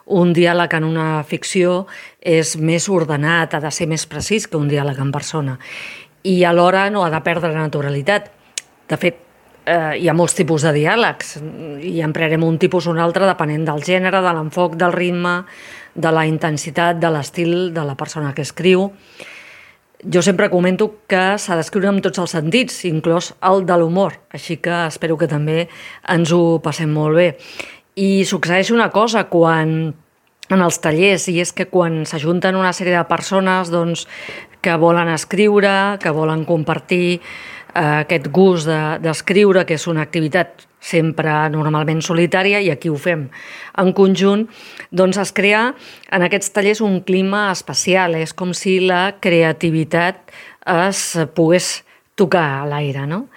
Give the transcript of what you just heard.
un diàleg en una ficció és més ordenat, ha de ser més precís que un diàleg en persona. I alhora no ha de perdre naturalitat. De fet, hi ha molts tipus de diàlegs i emprarem un tipus o un altre depenent del gènere, de l'enfoc, del ritme, de la intensitat, de l'estil de la persona que escriu. Jo sempre comento que s'ha d'escriure amb tots els sentits, inclòs el de l'humor, així que espero que també ens ho passem molt bé. I succeeix una cosa en els tallers, i és que quan s'ajunten una sèrie de persones que volen escriure, que volen compartir aquest gust d'escriure, que és una activitat sempre normalment solitària, i aquí ho fem en conjunt, doncs es crea en aquests tallers un clima especial. És com si la creativitat es pogués tocar a l'aire, no?